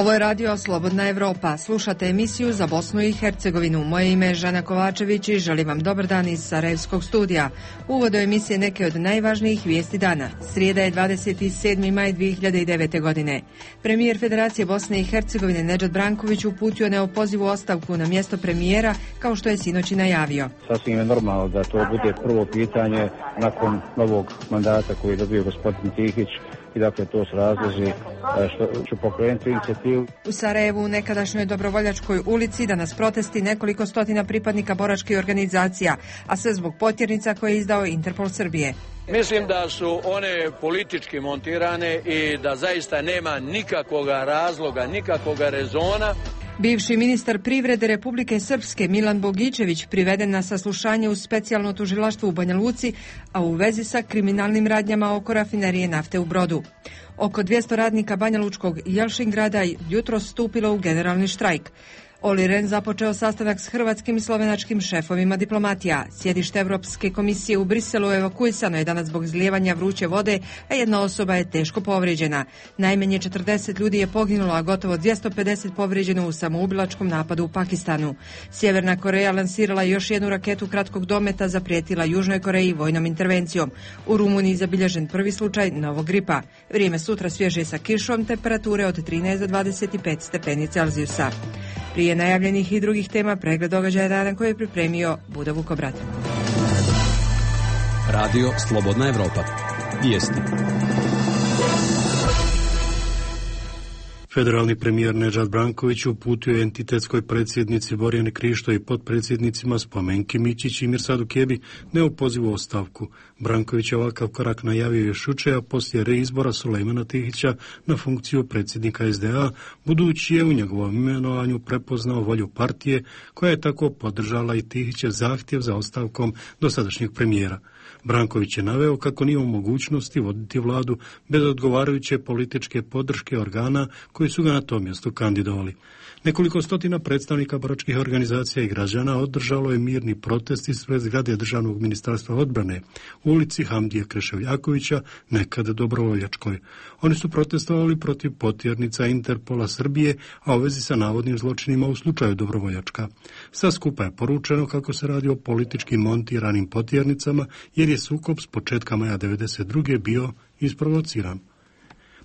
Ovo je radio Slobodna Evropa. Slušate emisiju za Bosnu i Hercegovinu. Moje ime je Žana Kovačević i želim vam dobar dan iz Sarajevskog studija. Uvod do emisije neke od najvažnijih vijesti dana. Srijeda je 27. maj 2009. godine. Premijer Federacije Bosne i Hercegovine Nedžad Branković uputio neopozivu ostavku na mjesto premijera, kao što je sinoć i najavio. Sasvim je normalno da to bude prvo pitanje nakon novog mandata koji je dobio gospodin Tihić. I dakle, to su razlozi što ću pokrenuti inicijativu. U Sarajevu, u nekadašnjoj Dobrovoljačkoj ulici, danas protesti nekoliko stotina pripadnika boračkih organizacija, a sve zbog potjernica koje je izdao Interpol Srbije. Mislim da su one politički montirane i da zaista nema nikakvog razloga, nikakvog rezona. Bivši ministar privrede Republike Srpske Milan Bogićević priveden na saslušanje u specijalno tužilaštvo u Banja Luci, a u vezi sa kriminalnim radnjama oko rafinerije nafte u Brodu. Oko 200 radnika Banjalučkog i Jelšingrada jutros stupilo u generalni štrajk. Olli Rehn započeo sastanak s hrvatskim i slovenačkim šefovima diplomatija. Sjedište Evropske komisije u Briselu evakuisano je danas zbog izlijevanja vruće vode, a jedna osoba je teško povrijeđena. Najmanje 40 ljudi je poginulo, a gotovo 250 povrijeđeno u samoubilačkom napadu u Pakistanu. Sjeverna Koreja lansirala još jednu raketu kratkog dometa, zaprijetila Južnoj Koreji vojnom intervencijom. U Rumuniji zabilježen prvi slučaj novog gripa. Vrijeme sutra svježe sa kišom, temperature od 13 do 25 stepeni Celzijusa. Prije najavljenih i drugih tema, pregled događaja dana koji je pripremio Buda Vukobrat. Radio Slobodna Evropa. Vijesti. Federalni premijer Nedžad Branković uputio je entitetskoj predsjednici Borjani Krišto i potpredsjednicima Spomenki Mićić i Mirsadu Kebi neopozivu ostavku. Branković je ovakav korak najavio još jučer, a poslije reizbora Sulejmana Tihića na funkciju predsjednika SDA, budući je u njegovom imenovanju prepoznao volju partije koja je tako podržala i Tihićev zahtjev za ostavkom dosadašnjeg premijera. Branković je naveo kako nije u mogućnosti voditi vladu bez odgovarajuće političke podrške organa koji su ga na to mjesto kandidovali. Nekoliko stotina predstavnika boračkih organizacija i građana održalo je mirni protest ispred zgrade Državnog ministarstva odbrane u ulici Hamdije Kreševljakovića, nekada Dobrovoljačkoj. Oni su protestovali protiv potjernica Interpola Srbije, a u vezi sa navodnim zločinima u slučaju Dobrovoljačka. Sa skupa je poručeno kako se radi o politički montiranim potjernicama, jer je sukob s početka maja 1992. bio isprovociran.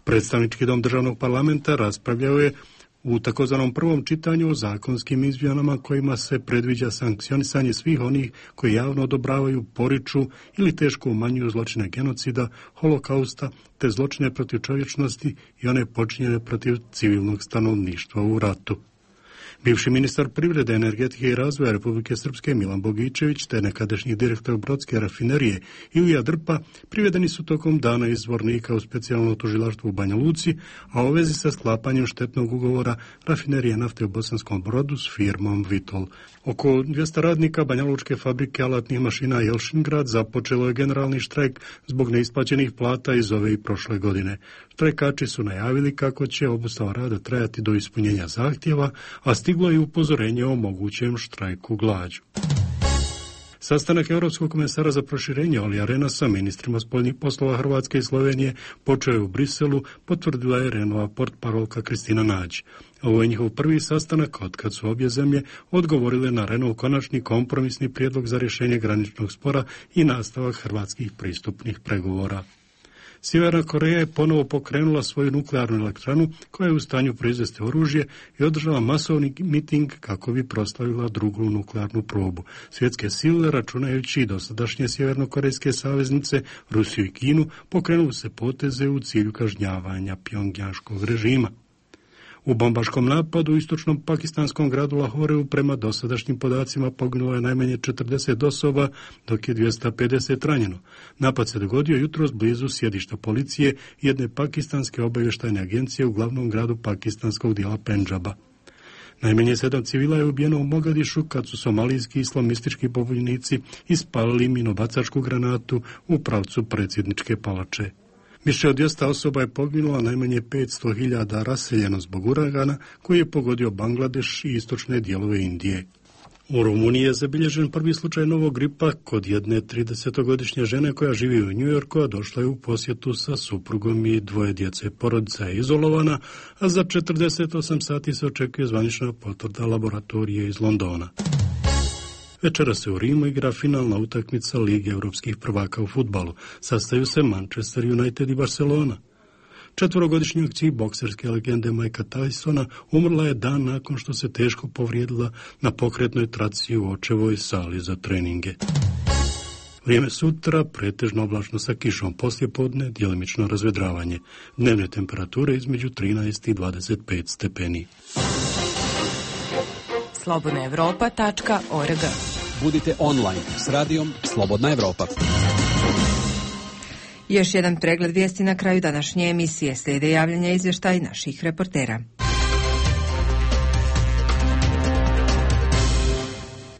Predstavnički dom državnog parlamenta raspravljao je u takozvanom prvom čitanju o zakonskim izmjenama kojima se predviđa sankcionisanje svih onih koji javno odobravaju, poriču ili teško umanjuju zločine genocida, holokausta te zločine protiv čovječnosti i one počinjene protiv civilnog stanovništva u ratu. Bivši ministar privrede, energetike i razvoja Republike Srpske Milan Bogićević te nekadašnji direktor Brodske rafinerije Ilija Drpa privedeni su tokom dana iz Zvornika u specijalno tužilaštvo u Banja Luci, a u vezi sa sklapanjem štetnog ugovora rafinerije nafte u Bosanskom Brodu s firmom Vitol. Oko 200 radnika Banjalučke fabrike alatnih mašina Jelšingrad započelo je generalni štrajk zbog neisplaćenih plata iz ove i prošle godine. Štrajkači su najavili kako će obustava rada trajati do ispunjenja zahtjeva, a stiglo je upozorenje o mogućem štrajku glađu. Sastanak Europskog komesara za proširenje Ollija Rehna sa ministrima spoljnih poslova Hrvatske i Slovenije počeo je u Briselu, potvrdila je Rehnova portparolka Kristina Nađ. Ovo je njihov prvi sastanak otkad su obje zemlje odgovorile na Rehnov konačni kompromisni prijedlog za rješenje graničnog spora i nastavak hrvatskih pristupnih pregovora. Sjeverna Koreja je ponovo pokrenula svoju nuklearnu elektranu koja je u stanju proizvesti oružje i održala masovni miting kako bi proslavila drugu nuklearnu probu. Svjetske sile, računajući i dosadašnje sjevernokorejske saveznice, Rusiju i Kinu, pokrenuli se poteze u cilju kažnjavanja pjongjanškog režima. U bombaškom napadu u istočnom pakistanskom gradu Lahoreu prema dosadašnjim podacima poginulo je najmanje 40 osoba, dok je 250 ranjeno. Napad se dogodio jutros blizu sjedišta policije i jedne pakistanske obavještajne agencije u glavnom gradu pakistanskog dijela Pendžaba. Najmanje 7 civila je ubijeno u Mogadišu kad su somalijski islamistički pobunjenici ispalili minobacačku granatu u pravcu predsjedničke palače. Više od 200 osoba je poginulo, a najmanje 500.000 raseljeno zbog uragana koji je pogodio Bangladeš i istočne dijelove Indije. U Rumuniji je zabilježen prvi slučaj novog gripa kod jedne 30-godišnje žene koja živi u Njujorku, a došla je u posjetu sa suprugom i dvoje djece. Porodica je izolovana, a za 48 sati se očekuje zvanična potvrda laboratorije iz Londona. Večera se u Rimu igra finalna utakmica Lige europskih prvaka u fudbalu. Sastaju se Manchester United i Barcelona. 4-godišnji akciji bokserske legende Mikea Tysona umrla je dan nakon što se teško povrijedila na pokretnoj traci u očevoj sali za treninge. Vrijeme sutra pretežno oblačno sa kišom, poslijepodne djelimično razvedravanje. Dnevne temperature između 13 i 25 stepeni. slobodnaevropa.org. Budite online s radijom Slobodna Evropa. Još jedan pregled vijesti na kraju današnje emisije. Slijede javljanja izvještaj naših reportera.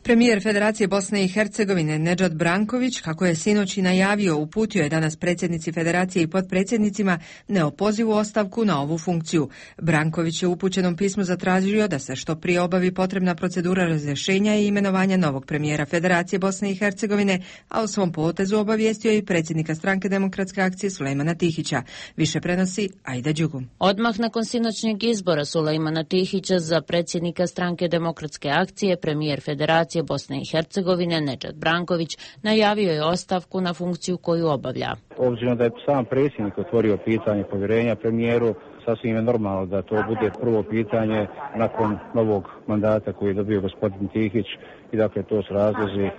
Premijer Federacije Bosne i Hercegovine Nedžad Branković, kako je sinoć i najavio, uputio je danas predsjednici Federacije i potpredsjednicima neopozivu ostavku na ovu funkciju. Branković je u upućenom pismu zatražio da se što prije obavi potrebna procedura razrješenja i imenovanja novog premijera Federacije Bosne i Hercegovine, a u svom potezu obavijestio i predsjednika Stranke demokratske akcije Sulejmana Tihića. Više prenosi Aida Đugum. Odmah nakon sinoćnjeg izbora Sulejmana Tihića za predsjednika Stranke demokratske akcije, premijer Federacije Bosne i Hercegovine Nedžad Branković najavio je ostavku na funkciju koju obavlja. Obzirom da je sam predsjednik otvorio pitanje povjerenja premijeru, sasvim je normalno da to bude prvo pitanje nakon novog mandata koji je dobio gospodin Tihić i dakle to su razlozi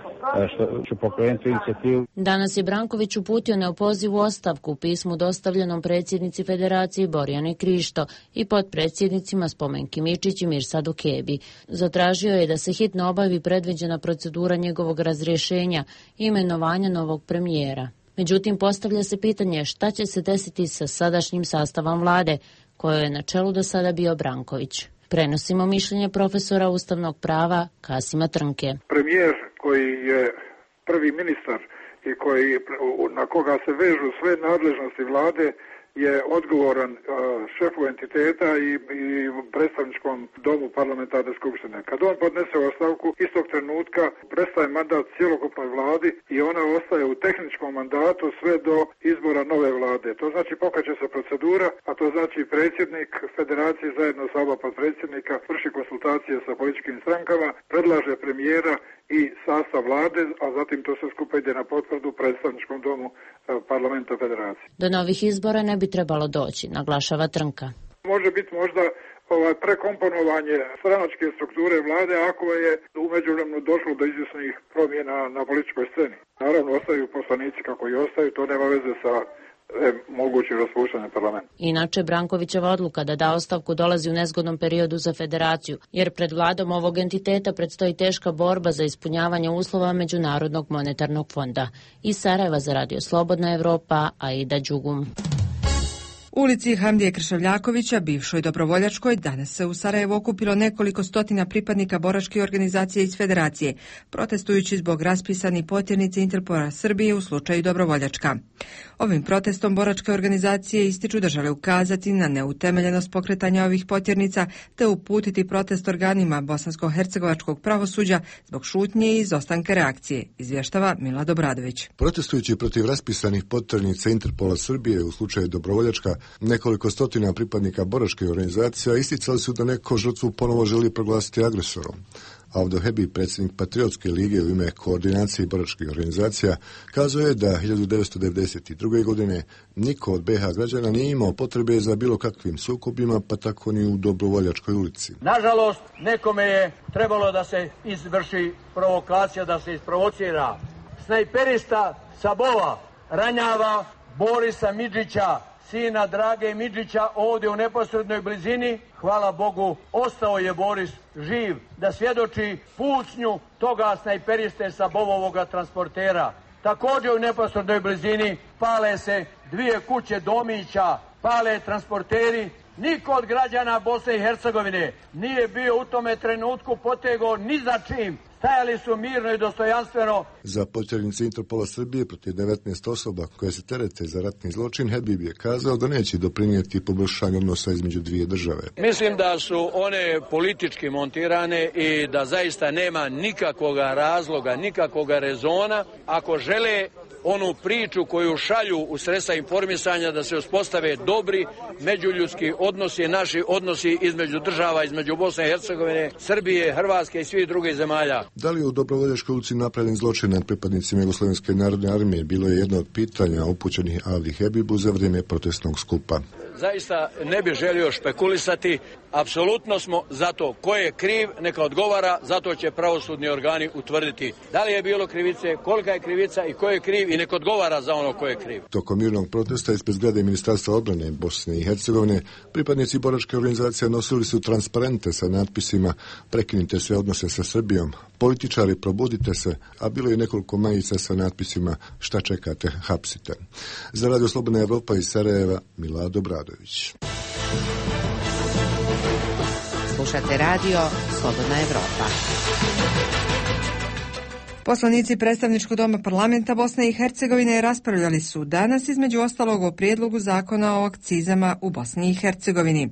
što ću pokrenuti inicijativu. Danas je Branković uputio neopozivu ostavku u pismu dostavljenom predsjednici Federacije Borjani Krišto i potpredsjednicima Spomenki Mičić i Mirsadu Kebi. Zatražio je da se hitno obavi predviđena procedura njegovog razrješenja i imenovanja novog premijera. Međutim, postavlja se pitanje šta će se desiti sa sadašnjim sastavom vlade, kojoj je na čelu do sada bio Branković. Prenosimo mišljenje profesora ustavnog prava Kasima Trnke. Premijer koji je prvi ministar i na koga se vežu sve nadležnosti vlade je odgovoran šefu entiteta i predstavničkom domu parlamentarne skupštine. Kad on podnese ostavku, istog trenutka prestaje mandat cjelokupnoj vladi i ona ostaje u tehničkom mandatu sve do izbora nove vlade. To znači pokreće se procedura, a to znači predsjednik Federacije zajedno sa oba potpredsjednika vrši konsultacije sa političkim strankama, predlaže premijera i sastav vlade, a zatim to sve skupa ide na potvrdu predstavničkom domu parlamenta Federacije. Do novih izbora ne bi trebalo doći, naglašava Trnka. Može biti možda prekomponovanje stranačke strukture vlade ako je u međuvremenu došlo do izvjesnih promjena na političkoj sceni. Naravno, ostaju poslanici kako i ostaju, to nema veze sa moguće raspuštanje parlamenta. Inače, Brankovićeva odluka da da ostavku dolazi u nezgodnom periodu za Federaciju, jer pred vladom ovog entiteta predstoji teška borba za ispunjavanje uslova Međunarodnog monetarnog fonda. Iz Sarajeva za Radio Slobodna Evropa, Aida Đugum. U ulici Hamdije Kršavljakovića, bivšoj dobrovoljačkoj, danas se u Sarajevu okupilo nekoliko stotina pripadnika boračke organizacije iz Federacije, protestujući zbog raspisanih potjernice Interpola Srbije u slučaju dobrovoljačka. Ovim protestom boračke organizacije ističu da žele ukazati na neutemeljenost pokretanja ovih potjernica te uputiti protest organima bosansko-hercegovačkog pravosuđa zbog šutnje i izostanka reakcije, izvještava Milad Obradović. Protestujući protiv raspisanih potjernica Interpola Srbije u slučaju dobrovoljačka, nekoliko stotina pripadnika boračke organizacija isticali su da neko žrtvu ponovo želi proglasiti agresorom. Avdo Hebi, predsjednik Patriotske lige u ime koordinacije boračkih organizacija, kazao je da 1992. godine niko od BiH građana nije imao potrebe za bilo kakvim sukobima, pa tako ni u dobrovoljačkoj ulici. Nažalost, nekome je trebalo da se izvrši provokacija, da se isprovocira. Snajperista sa Bova ranjava Borisa Midžića, sina Drage Midžića, ovdje u neposrednoj blizini. Hvala Bogu, ostao je Boris živ da svjedoči pucnju toga snajperiste sa Bovovoga transportera. Također u neposrednoj blizini pale se dvije kuće domića, pale transporteri. Niko od građana Bosne i Hercegovine nije bio u tome trenutku potegao ni za čim stajali su mirno i dostojanstveno. Za potjernice Interpola Srbije protiv 19 osoba koje se terete za ratni zločin, Habib je kazao da neće doprinijeti poboljšanju odnosa između dvije države. Mislim da su one politički montirane i da zaista nema nikakvog razloga, nikakvog rezona ako žele onu priču koju šalju u sredstva informisanja da se uspostave dobri međuljudski odnosi, naši odnosi između država, između Bosne i Hercegovine, Srbije, Hrvatske i svih drugih zemalja. Da li je u Dobrovoljačkoj ulici napravljen zločin nad pripadnicima Jugoslovenske narodne armije bilo je jedno od pitanja upućenih Avdi Habibu za vrijeme protestnog skupa. Zaista ne bih želio špekulisati, apsolutno smo za to. Ko je kriv, neka odgovara, zato će pravosudni organi utvrditi da li je bilo krivice, kolika je krivica i ko je kriv i neka odgovara za ono ko je kriv. Tokom mirnog protesta ispred zgrade Ministarstva odbrane Bosne i Hercegovine, pripadnici boračke organizacije nosili su transparente sa natpisima "Prekinite sve odnose sa Srbijom", "Političari, probudite se", a bilo je nekoliko majica sa natpisima "Šta čekate, hapsite". Za Radio Slobodna Evropa iz Sarajeva, Milado Bradović. Slušate radio Slobodna Evropa. Poslanici predstavničkog doma parlamenta Bosne i Hercegovine raspravljali su danas između ostalog o prijedlogu zakona o akcizama u Bosni i Hercegovini.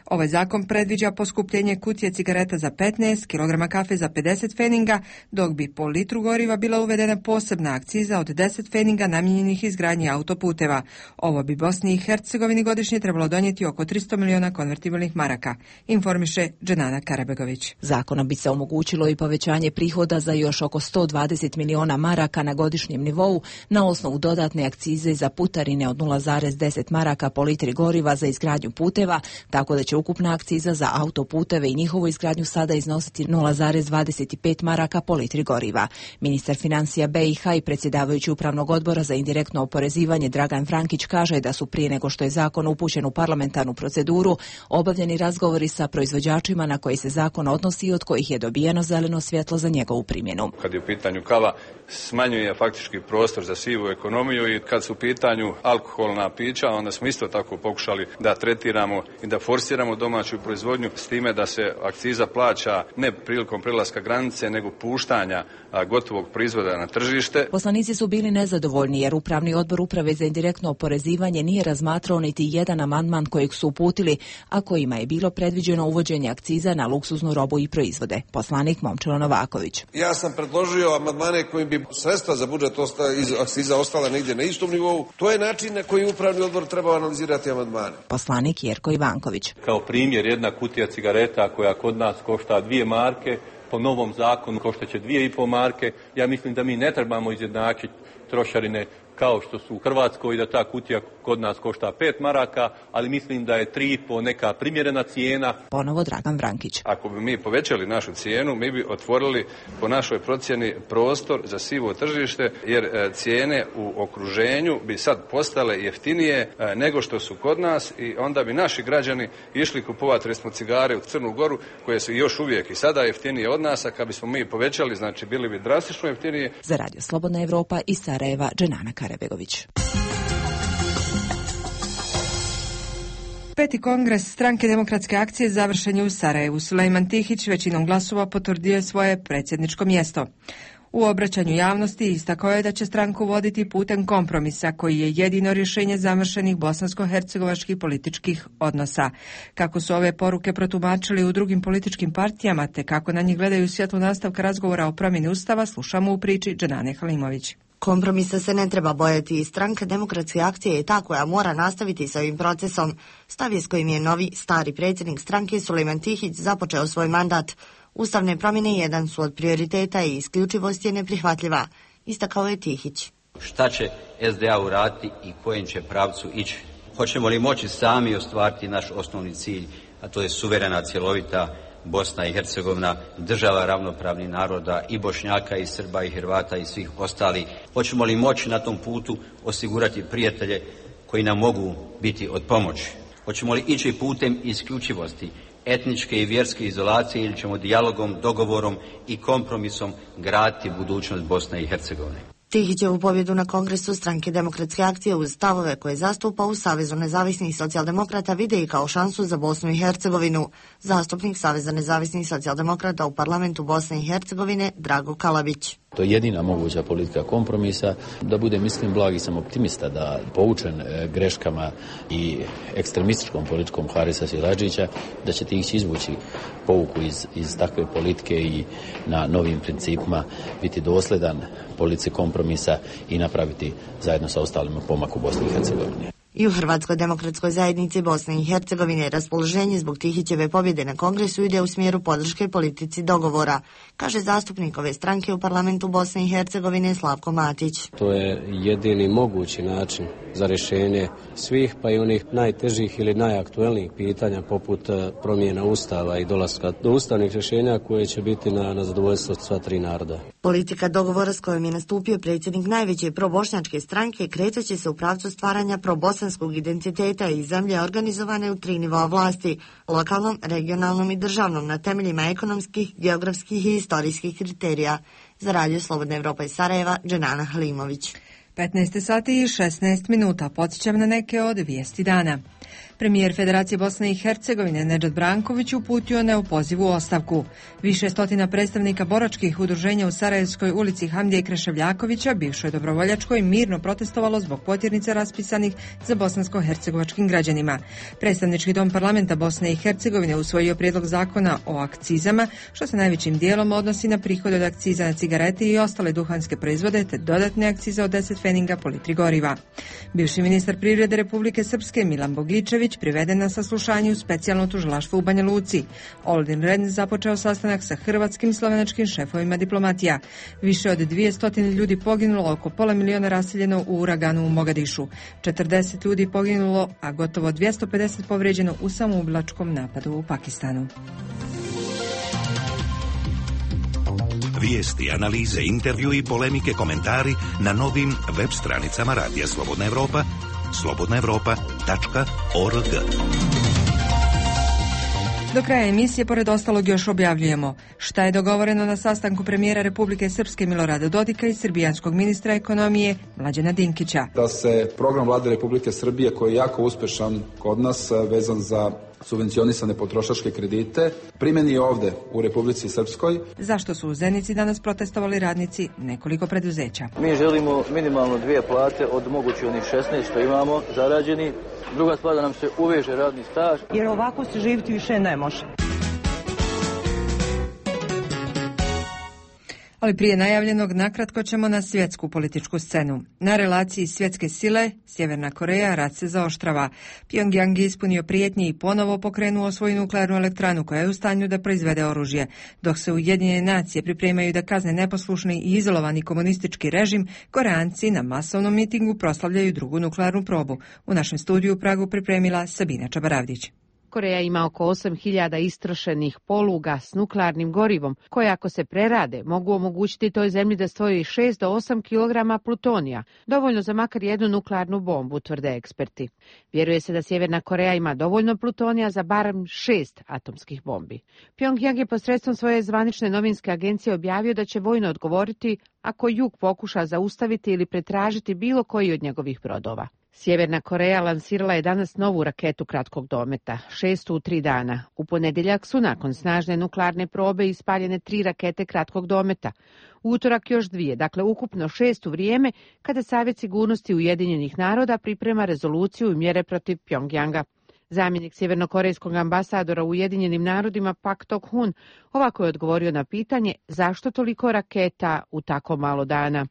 Ovaj zakon predviđa poskupljenje kutije cigareta za 15, kilograma kafe za 50 feninga, dok bi po litru goriva bila uvedena posebna akciza od 10 feninga namijenjenih izgradnji autoputeva. Ovo bi Bosni i Hercegovini godišnje trebalo donijeti oko 300 miliona konvertibilnih maraka, informiše Dženana Karabegović. Zakonom bi se omogućilo i povećanje prihoda za još oko 120 miliona maraka na godišnjem nivou na osnovu dodatne akcize za putarine od 0,10 maraka po litri goriva za izgradnju puteva, tako da će ukupna akciza za autoputeve i njihovu izgradnju sada iznositi 0,25 maraka po litri goriva. Ministar financija BiH i predsjedavajući upravnog odbora za indirektno oporezivanje Dragan Frankić kaže da su prije nego što je zakon upućen u parlamentarnu proceduru obavljeni razgovori sa proizvođačima na koji se zakon odnosi i od kojih je dobijeno zeleno svjetlo za njegovu primjenu. Kad je u pitanju kava, smanjuje faktički prostor za sivu ekonomiju i kad su u pitanju alkoholna pića, onda smo isto tako pokušali da tretiramo i da forsiramo domaću proizvodnju s time da se akciza plaća ne prilikom prelaska granice, nego puštanja gotovog proizvoda na tržište. Poslanici su bili nezadovoljni jer Upravni odbor Uprave za indirektno oporezivanje nije razmatrao niti jedan amandman kojeg su uputili, a kojima je bilo predviđeno uvođenje akciza na luksuznu robu i proizvode. Poslanik Momčilo Novaković. Ja sam predložio amandmane kojim bi sredstva za budžet iz akciza ostala negdje na istom nivou. To je način na koji Upravni odbor treba analizirati amandmane. Poslanik Jerko Ivanković. Kao primjer, jedna kutija cigareta koja kod nas košta 2 marke, po novom zakonu koštaće 2,5 marke. Ja mislim da mi ne trebamo izjednačiti trošarine kao što su u Hrvatskoj, da ta kutija kod nas košta 5 maraka, ali mislim da je 3,5 neka primjerena cijena. Ponovo Dragan Vrankić. Ako bi mi povećali našu cijenu, mi bi otvorili po našoj procjeni prostor za sivo tržište, jer cijene u okruženju bi sad postale jeftinije nego što su kod nas i onda bi naši građani išli kupovati recimo cigare u Crnu Goru, koje su još uvijek i sada jeftinije od nas, a kad bismo mi povećali, znači bili bi drastično jeftinije. Za Radio Slobodna Evropa iz Sarajeva, Dženana Karabegović. Peti kongres Stranke demokratske akcije završen je u Sarajevu. Sulejman Tihić većinom glasova potvrdio je svoje predsjedničko mjesto. U obraćanju javnosti istakao je da će stranku voditi putem kompromisa koji je jedino rješenje zamršenih bosansko-hercegovačkih političkih odnosa. Kako su ove poruke protumačili u drugim političkim partijama te kako na njih gledaju svjetlo nastavka razgovora o promjeni Ustava, slušamo u priči Dženane Halimović. Kompromisa se ne treba bojati i Stranka demokratske akcije je ta koja mora nastaviti s ovim procesom. Stav je s kojim je novi, stari predsjednik stranke Sulejman Tihić započeo svoj mandat. Ustavne promjene jedan su od prioriteta i isključivost je neprihvatljiva, istakao je Tihić. Šta će SDA uraditi i kojem će pravcu ići? Hoćemo li moći sami ostvariti naš osnovni cilj, a to je suverena, cjelovita Bosna i Hercegovina, država ravnopravnih naroda i Bošnjaka i Srba i Hrvata i svih ostalih. Hoćemo li moći na tom putu osigurati prijatelje koji nam mogu biti od pomoći? Hoćemo li ići putem isključivosti, etničke i vjerske izolacije ili ćemo dijalogom, dogovorom i kompromisom graditi budućnost Bosne i Hercegovine? Tihićevu pobjedu na kongresu stranke Demokratske akcije uz stavove koje zastupa u Savezu nezavisnih socijaldemokrata vide i kao šansu za Bosnu i Hercegovinu. Zastupnik Saveza nezavisnih socijaldemokrata u parlamentu Bosne i Hercegovine Drago Kalabić. To je jedina moguća politika kompromisa. Da budem mislim blagi, sam optimista da poučen greškama i ekstremističkom politikom Harisa Siladžića, da će Tihić izvući pouku iz takve politike i na novim principima biti dosledan politici kompromisa i napraviti zajedno sa ostalima pomak u Bosni i Hercegovini. I u Hrvatskoj demokratskoj zajednici Bosne i Hercegovine raspoloženje zbog Tihićeve pobjede na kongresu ide u smjeru podrške politici dogovora, kaže zastupnik ove stranke u parlamentu Bosne i Hercegovine Slavko Matić. To je jedini mogući način za rješenje svih, pa i onih najtežih ili najaktuelnijih pitanja poput promjena ustava i dolaska do ustavnih rješenja koje će biti na zadovoljstvo sva tri naroda. Politika dogovora s kojom je nastupio predsjednik najveće probošnjačke stranke kreće se u pravcu stvaranja probosanskog identiteta i zemlje organizovane u tri nivoa vlasti, lokalnom, regionalnom i državnom, na temeljima ekonomskih, geografskih i historijskih kriterija. Za Radio Slobodna Evropa iz Sarajeva, Dženana Halimović. 15 sati i 16 minuta. Podsjećam na neke od vijesti dana. Premijer Federacije Bosne i Hercegovine Nedžad Branković uputio neopozivu ostavku. Više stotina predstavnika boračkih udruženja u Sarajevskoj ulici Hamdije Kreševljakovića, bivšoj dobrovoljačkoj, mirno protestovalo zbog potjernica raspisanih za bosansko-hercegovačkim građanima. Predstavnički dom parlamenta Bosne i Hercegovine usvojio prijedlog zakona o akcizama, što se najvećim dijelom odnosi na prihode od akciza na cigarete i ostale duhanske proizvode, te dodatne akcize od 10 feninga po litri goriva. Bivši ministar privrede Republike Srpske Milan Bogičević priveden na saslušanje u specijalno tužilaštvo u Banja Luci. Oldin Ren započeo sastanak sa hrvatskim i slovenačkim šefovima diplomatija. Više od 200 ljudi poginulo, oko pola miliona raseljeno u uraganu u Mogadišu. 40 ljudi poginulo, a gotovo 250 povrijeđeno u samoubilačkom napadu u Pakistanu. Vijesti, analize, intervju i polemike, komentari na novim web stranicama Radija Slobodna Evropa, slobodnaevropa.org. Do kraja emisije, pored ostalog, još objavljujemo šta je dogovoreno na sastanku premijera Republike Srpske Milorada Dodika i srbijanskog ministra ekonomije Mlađana Dinkića. Da se program Vlade Republike Srbije, koji je jako uspešan kod nas, vezan za subvencionisane potrošačke kredite, primjeni ovde u Republici Srpskoj. Zašto su u Zenici danas protestovali radnici nekoliko preduzeća? Mi želimo minimalno 2 plate od mogući onih 16 što imamo zarađeni. Druga stvar, da nam se uveže radni staž. Jer ovako se živjeti više ne može. Ali prije najavljenog, nakratko ćemo na svjetsku političku scenu. Na relaciji svjetske sile, Sjeverna Koreja, rat se zaoštrava. Pjongjang je ispunio prijetnje i ponovo pokrenuo svoju nuklearnu elektranu koja je u stanju da proizvede oružje. Dok se Ujedinjene nacije pripremaju da kazne neposlušni i izolovani komunistički režim, Koreanci na masovnom mitingu proslavljaju drugu nuklearnu probu. U našem studiju u Pragu pripremila Sabina Čabaravdić. Koreja ima oko 8.000 istrošenih poluga s nuklearnim gorivom, koje ako se prerade mogu omogućiti toj zemlji da stvori 6 do 8 kg plutonija, dovoljno za makar jednu nuklearnu bombu, tvrde eksperti. Vjeruje se da Sjeverna Koreja ima dovoljno plutonija za barem 6 atomskih bombi. Pjongjang je posredstvom svoje zvanične novinske agencije objavio da će vojno odgovoriti ako Jug pokuša zaustaviti ili pretražiti bilo koji od njegovih brodova. Sjeverna Koreja lansirala je danas novu raketu kratkog dometa, 6. u 3 dana. U ponedjeljak su nakon snažne nuklearne probe ispaljene 3 rakete kratkog dometa. U utorak još 2, dakle ukupno 6 u vrijeme kada Savjet sigurnosti Ujedinjenih naroda priprema rezoluciju i mjere protiv Pjongjanga. Zamjenik sjevernokorejskog ambasadora u Ujedinjenim narodima Pak Tok-hun ovako je odgovorio na pitanje zašto toliko raketa u tako malo dana.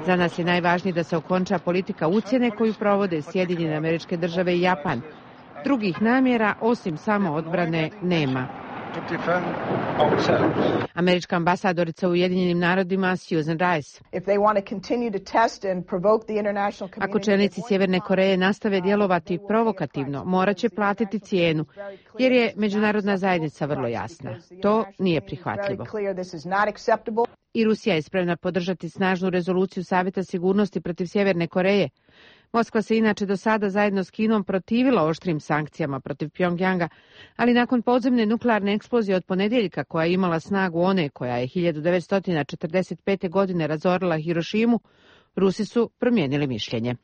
Za nas je najvažnije da se okonča politika ucjene koju provode Sjedinjene Američke Države i Japan. Drugih namjera osim samo odbrane nema. Američka ambasadorica u Ujedinjenim narodima Susan Rice. Ako čelnici Sjeverne Koreje nastave djelovati provokativno, morat će platiti cijenu, jer je međunarodna zajednica vrlo jasna. To nije prihvatljivo. I Rusija je spremna podržati snažnu rezoluciju Savjeta sigurnosti protiv Sjeverne Koreje. Moskva se inače do sada zajedno s Kinom protivila oštrim sankcijama protiv Pjongjanga, ali nakon podzemne nuklearne eksplozije od ponedjeljka koja je imala snagu one koja je 1945. godine razorila Hirošimu, Rusi su promijenili mišljenje.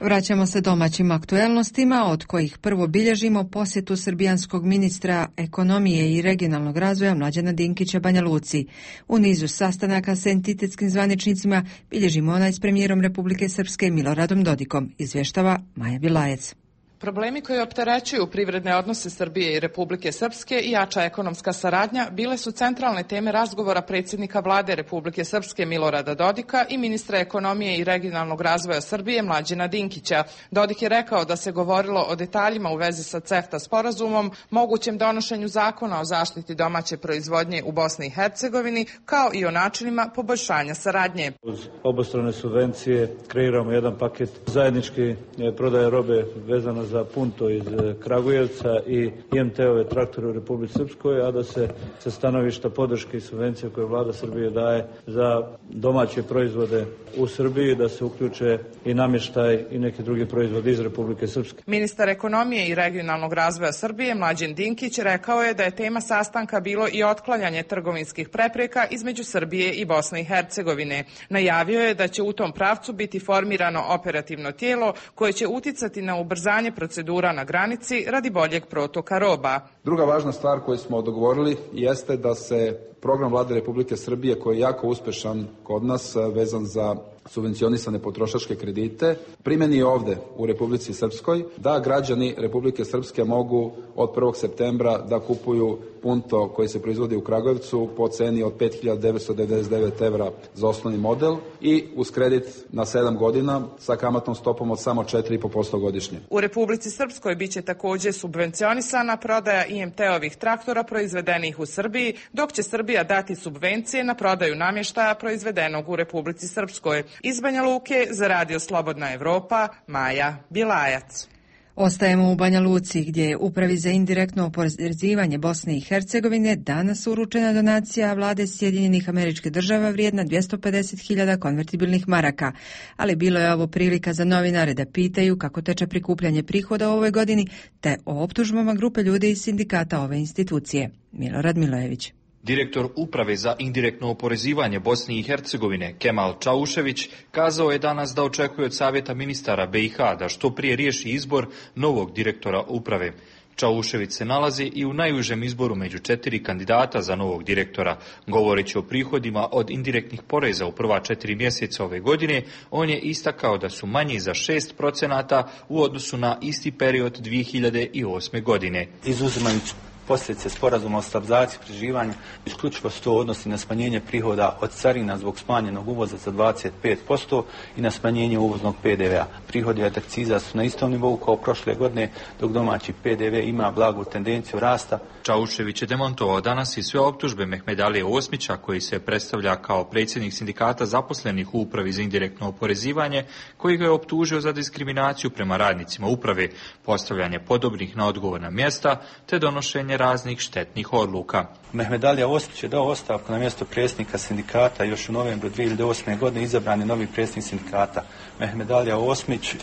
Vraćamo se domaćim aktuelnostima, od kojih prvo bilježimo posjetu srbijanskog ministra ekonomije i regionalnog razvoja Mlađana Dinkića Banja Luci. U nizu sastanaka s entitetskim zvaničnicima bilježimo onaj s premijerom Republike Srpske Miloradom Dodikom, izvještava Maja Bilajec. Problemi koji opterećuju privredne odnose Srbije i Republike Srpske i jača ekonomska saradnja bile su centralne teme razgovora predsjednika vlade Republike Srpske Milorada Dodika i ministra ekonomije i regionalnog razvoja Srbije Mlađana Dinkića. Dodik je rekao da se govorilo o detaljima u vezi sa CEFTA sporazumom, mogućem donošenju zakona o zaštiti domaće proizvodnje u Bosni i Hercegovini, kao i o načinima poboljšanja saradnje. Uz obostrane subvencije kreiramo jedan paket zajednički prodaje robe vezano za Punto iz Kragujevca i IMT-ove traktore u Republici Srpskoj, a da se sa stanovišta podrške i subvencije koje vlada Srbije daje za domaće proizvode u Srbiji, da se uključe i namještaj i neki drugi proizvodi iz Republike Srpske. Ministar ekonomije i regionalnog razvoja Srbije Mlađan Dinkić rekao je da je tema sastanka bilo i otklanjanje trgovinskih prepreka između Srbije i Bosne i Hercegovine. Najavio je da će u tom pravcu biti formirano operativno tijelo koje će uticati na ubrzanje procedura na granici radi boljeg protoka roba. Druga važna stvar koju smo dogovorili jeste da se program vlade Republike Srbije, koji je jako uspešan kod nas, vezan za subvencionisane potrošačke kredite, primjeni ovde u Republici Srpskoj, da građani Republike Srpske mogu od 1. septembra da kupuju Punto koji se proizvodi u Kragujevcu po ceni od 5.999 evra za osnovni model i uz kredit na 7 godina sa kamatnom stopom od samo 4,5% godišnje. U Republici Srpskoj biće također subvencionisana prodaja IMT-ovih traktora proizvedenih u Srbiji, dok će Srbija dati subvencije na prodaju namještaja proizvedenog u Republici Srpskoj. Iz Banja Luke za Radio Slobodna Evropa, Maja Bilajac. Ostajemo u Banja Luci, gdje je Upravi za indirektno oporezivanje Bosne i Hercegovine danas uručena donacija vlade Sjedinjenih Američkih Država vrijedna 250.000 konvertibilnih maraka. Ali bilo je ovo prilika za novinare da pitaju kako teče prikupljanje prihoda u ovoj godini, te o optužbama grupe ljudi iz sindikata ove institucije. Milorad Milojević. Direktor Uprave za indirektno oporezivanje Bosne i Hercegovine Kemal Čaušević kazao je danas da očekuje od Savjeta ministara BiH da što prije riješi izbor novog direktora uprave. Čaušević se nalazi i u najužem izboru među 4 kandidata za novog direktora. Govoreći o prihodima od indirektnih poreza u prva 4 mjeseca ove godine, on je istakao da su manji za 6% u odnosu na isti period 2008. godine. Izuzimajući posljedice sporazuma o stabilizaciji i pridruživanju, isključivo se to odnosi na smanjenje prihoda od carina zbog smanjenog uvoza za 25% i na smanjenje uvoznog PDV-a. Prihodi od akciza su na istom nivou kao prošle godine, dok domaći PDV ima blagu tendenciju rasta. Čaušević je demontovao danas i sve optužbe Mehmedalije Osmića, koji se predstavlja kao predsjednik sindikata zaposlenih u Upravi za indirektno oporezivanje, koji ga je optužio za diskriminaciju prema radnicima uprave, postavljanje podobnih na odgovorna mjesta te donošenje raznih štetnih odluka. Mehmedalija Osmić je dao ostavku na mjesto predsjednika sindikata. Još u novembru 2008. godine izabran je novi predsjednik sindikata. Mehmedalija Osmić,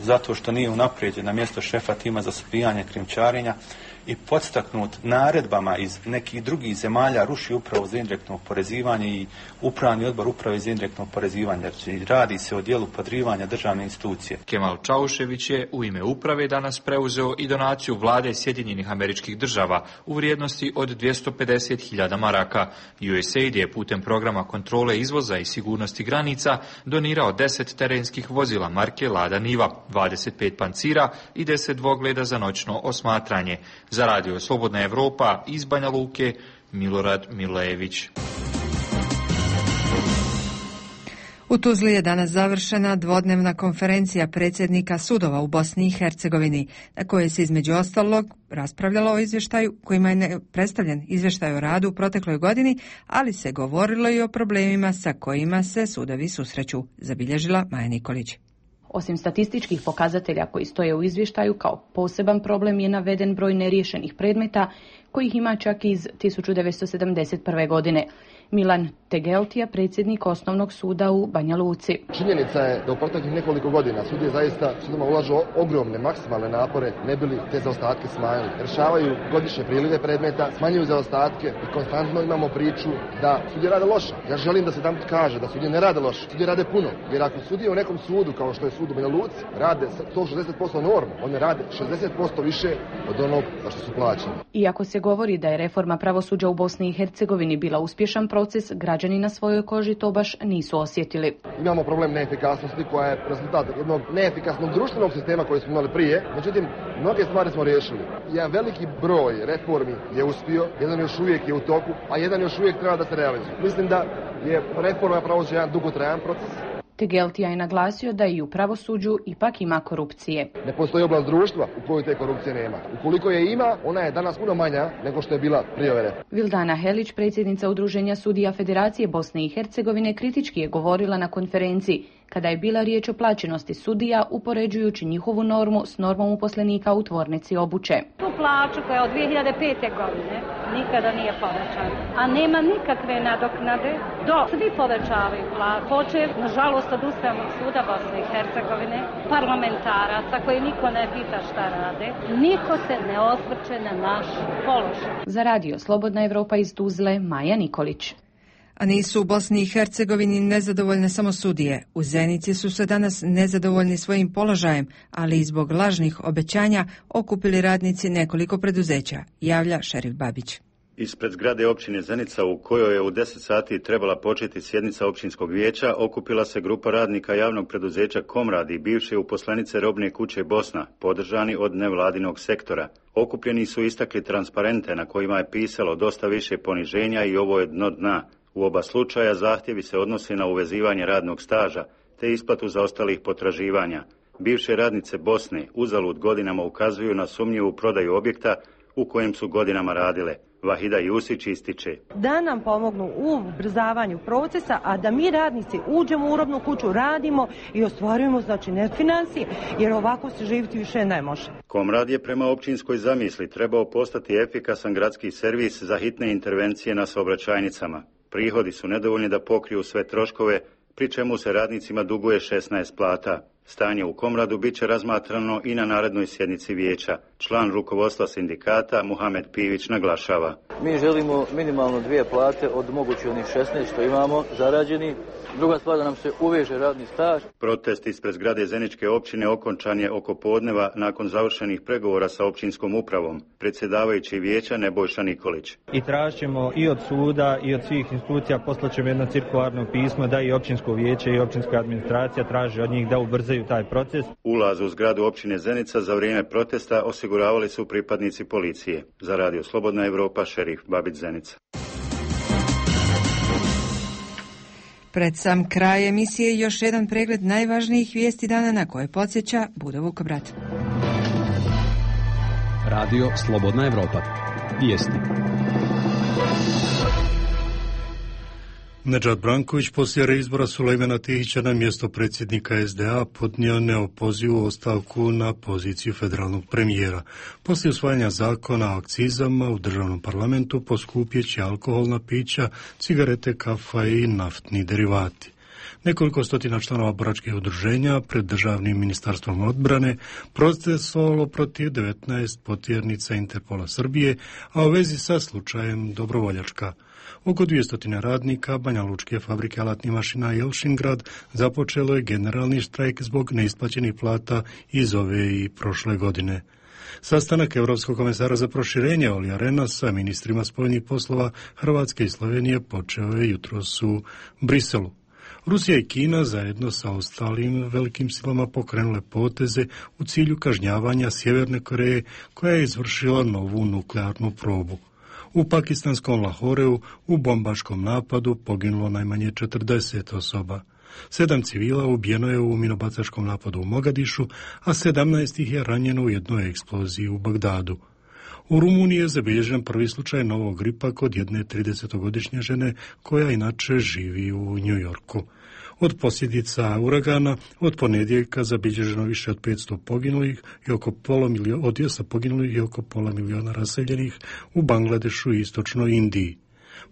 zato što nije unaprijeđen na mjesto šefa tima za suzbijanje krijumčarenja i podstaknut naredbama iz nekih drugih zemalja, ruši Upravu za indirektno oporezivanje i Upravni odbor Uprave za indirektno oporezivanje. Radi se o dijelu podrivanja državne institucije. Kemal Čaušević je u ime uprave danas preuzeo i donaciju vlade Sjedinjenih Američkih Država u vrijednosti od 250.000 maraka. USAID je putem programa kontrole izvoza i sigurnosti granica donirao 10 terenskih vozila marke Lada Niva, 25 pancira i 10 dvogleda za noćno osmatranje. Za Radio Slobodna Evropa iz Banja Luke, Milorad Milojević. U Tuzli je danas završena dvodnevna konferencija predsjednika sudova u Bosni i Hercegovini, na kojoj se između ostalog raspravljalo o izvještaju kojima je predstavljen izvještaj o radu u protekloj godini, ali se govorilo i o problemima sa kojima se sudovi susreću, zabilježila Maja Nikolić. Osim statističkih pokazatelja koji stoje u izvještaju, kao poseban problem je naveden broj neriješenih predmeta, kojih ima čak iz 1971. godine. Milan Tegeltija, predsjednik Osnovnog suda u Banja Luci. Činjenica je da u proteklih nekoliko godina sudije zaista sudima ulažu ogromne maksimalne napore ne bili te zaostatke smanjili. Rješavaju godišnje prilive predmeta, smanjuju zaostatke i konstantno imamo priču da sudije rade loše. Ja želim da se tam kaže da sudije ne rade loše, sudije rade puno. Jer ako sudije u nekom sudu, kao što je sud u Banja Luci, rade 160% normu, one rade 60% više od onog za što su plaćeni. Iako se govori da je reforma pravosuđa u Bosni i Hercegovini bila uspješan proces, građani na svojoj koži to baš nisu osjetili. Imamo problem neefikasnosti koja je rezultat jednog neefikasnog društvenog sistema koji smo imali prije. Međutim, mnoge stvari smo riješili. Jedan veliki broj reformi je uspio, jedan još uvijek je u toku, a jedan još uvijek treba da se realizuje. Mislim da je reforma pravosuđa jedan dugotrajan proces. Tegeltija je naglasio da i u pravosuđu ipak ima korupcije. Ne postoji oblast društva u kojoj te korupcije nema. Ukoliko je ima, ona je danas puno manja nego što je bila prije ove reforme. Vildana Helić, predsjednica Udruženja sudija Federacije Bosne i Hercegovine, kritički je govorila na konferenciji kada je bila riječ o plaćenosti sudija, upoređujući njihovu normu s normom uposlenika u tvornici obuće. Tu plaću koja je od 2005. godine nikada nije povećana, a nema nikakve nadoknade dok svi povećavaju plaću. Počev, nažalost, od Ustavnog suda Bosne i Hercegovine, parlamentaraca koji niko ne pita šta rade, niko se ne osvrće na naš položaj. Za radio Slobodna Evropa iz Tuzle, Maja Nikolić. A nisu u Bosni i Hercegovini nezadovoljne samo sudije. U Zenici su se danas nezadovoljni svojim položajem, ali i zbog lažnih obećanja okupili radnici nekoliko preduzeća, javlja Šerif Babić. Ispred zgrade općine Zenica, u kojoj je u 10 sati trebala početi sjednica općinskog vijeća, okupila se grupa radnika javnog preduzeća Komradi, bivše uposlenice Robne kuće Bosna, podržani od nevladinog sektora. Okupljeni su istakli transparente na kojima je pisalo dosta više poniženja i ovo je dno dna. U oba slučaja zahtjevi se odnose na uvezivanje radnog staža, te isplatu zaostalih potraživanja. Bivše radnice Bosne uzalud godinama ukazuju na sumnjivu prodaju objekta u kojem su godinama radile. Vahida Jusić ističe: da nam pomognu u ubrzavanju procesa, a da mi radnici uđemo u robnu kuću, radimo i ostvarujemo net financije, jer ovako se živjeti više ne može. Komrad je prema općinskoj zamisli trebao postati efikasan gradski servis za hitne intervencije na saobraćajnicama. Prihodi su nedovoljni da pokriju sve troškove, pri čemu se radnicima duguje 16 plata. Stanje u Komradu bit će razmatrano i na narednoj sjednici vijeća. Član rukovodstva sindikata Muhamed Pivić naglašava: mi želimo minimalno 2 plate od mogući onih 16 što imamo zarađeni. Druga stvar, da nam se uveže radni staž. Protest ispred zgrade Zeničke općine okončan je oko podneva nakon završenih pregovora sa općinskom upravom. Predsjedavajući vijeća Nebojša Nikolić: i tražit ćemo i od suda i od svih institucija, poslaćemo jedno cirkularno pismo da i općinsko vijeće i općinska administracija traži od njih da ubrzaju taj proces. Ulaz u zgradu općine Zenica za vrijeme protesta osiguravali su pripadnici policije. Za radio Slobodna Evropa, Šerif Babić, Zenica. Pred sam kraj emisije još jedan pregled najvažnijih vijesti dana na koje podsjeća Budo Vukobrat. Radio Slobodna Evropa. Vijesti. Nedžad Branković poslije reizbora Sulejmana Tihića na mjesto predsjednika SDA podnio neopozivu ostavku na poziciju federalnog premijera. Poslije usvajanja zakona o akcizama u državnom parlamentu poskupjet će alkoholna pića, cigarete, kafa i naftni derivati. Nekoliko stotina članova boračkih udruženja pred državnim ministarstvom odbrane protestovalo protiv 19 potjernica Interpola Srbije, a u vezi sa slučajem Dobrovoljačka. Oko 200 radnika Banja Lučke fabrike alatnih mašina Jelšingrad započelo je generalni štrajk zbog neisplaćenih plata iz ove i prošle godine. Sastanak Europskog komesara za proširenje Olija Rehna sa ministrima spoljnih poslova Hrvatske i Slovenije počeo je jutros u Briselu. Rusija i Kina zajedno sa ostalim velikim silama pokrenule poteze u cilju kažnjavanja Sjeverne Koreje koja je izvršila novu nuklearnu probu. U pakistanskom Lahoreu u bombaškom napadu poginulo najmanje 40 osoba. 7 civila ubijeno je u minobacačkom napadu u Mogadišu, a 17 ih je ranjeno u jednoj eksploziji u Bagdadu. U Rumuniji je zabilježen prvi slučaj novog gripa kod jedne 30-godišnje žene koja inače živi u Njujorku. Od posljedica uragana od ponedjeljka zabilježeno više od 500 poginulih i oko pola miliona raseljenih u Bangladešu i istočnoj Indiji.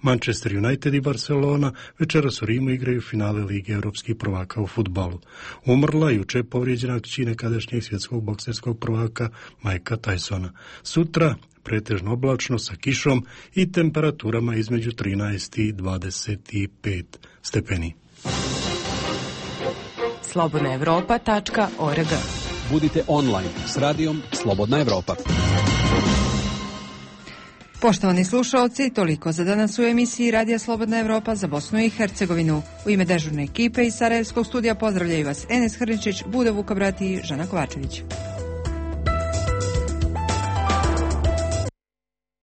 Manchester United i Barcelona večeras u Rimu igraju finale Lige europskih prvaka u fudbalu. Umrla jučer povrijeđena kći nekadašnjeg svjetskog bokserskog prvaka Mikea Tysona. Sutra pretežno oblačno sa kišom i temperaturama između 13 i 25 stepeni. slobodnaevropa.org. Budite online s radijom Slobodna Evropa. Poštovani slušalci, toliko za danas u emisiji Radija Slobodna Evropa za Bosnu i Hercegovinu. U ime dežurne ekipe iz Sarajevskog studija pozdravljaju vas Enes Hrničić, Bude Vukobrati i Žana Kovačević.